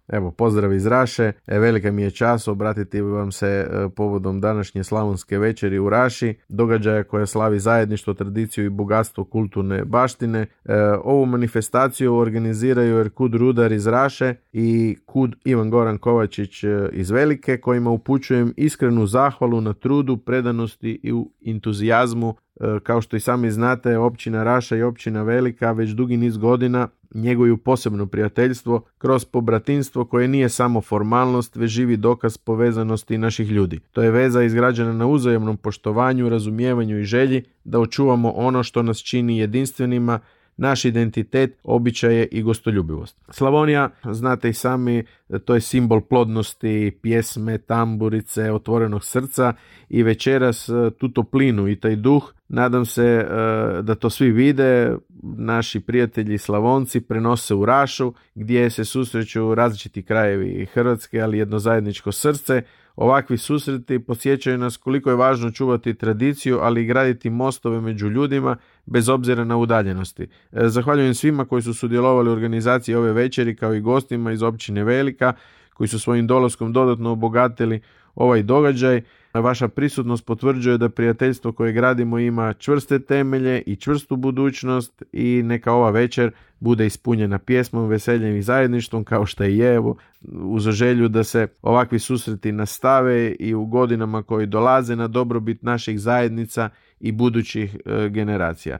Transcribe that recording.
Evo, pozdrav iz Raše. Velika mi je čast obratiti vam se povodom današnje slavonske večeri u Raši, događaja koja slavi zajedništvo, tradiciju i bogatstvo kulturne baštine. Ovu manifestaciju organiziraju Erkud Rudar iz Raše i Kud Ivan Goran Kovačić iz Velike, kojima upućujem iskrenu zahvalu na trudu, predanosti i entuzijazmu. Kao što i sami znate, općina Raša i općina Velika već dugi niz godina njeguju posebno prijateljstvo kroz pobratinstvo koje nije samo formalnost, već živi dokaz povezanosti naših ljudi. To je veza izgrađena na uzajamnom poštovanju, razumijevanju i želji da očuvamo ono što nas čini jedinstvenima, naš identitet, običaje i gostoljubivost. Slavonija, znate i sami, to je simbol plodnosti, pjesme, tamburice, otvorenog srca i večeras tu toplinu i taj duh, nadam se da to svi vide, naši prijatelji Slavonci prenose u Rašu gdje se susreću različiti krajevi Hrvatske, ali jedno zajedničko srce. Ovakvi susreti podsjećaju nas koliko je važno čuvati tradiciju, ali i graditi mostove među ljudima bez obzira na udaljenosti. Zahvaljujem svima koji su sudjelovali u organizaciji ove večeri, kao i gostima iz općine Velika koji su svojim dolaskom dodatno obogatili ovaj događaj. Vaša prisutnost potvrđuje da prijateljstvo koje gradimo ima čvrste temelje i čvrstu budućnost i neka ova večer bude ispunjena pjesmom, veseljem i zajedništvom kao što i je, evo, uz želju da se ovakvi susreti nastave i u godinama koji dolaze na dobrobit naših zajednica i budućih generacija.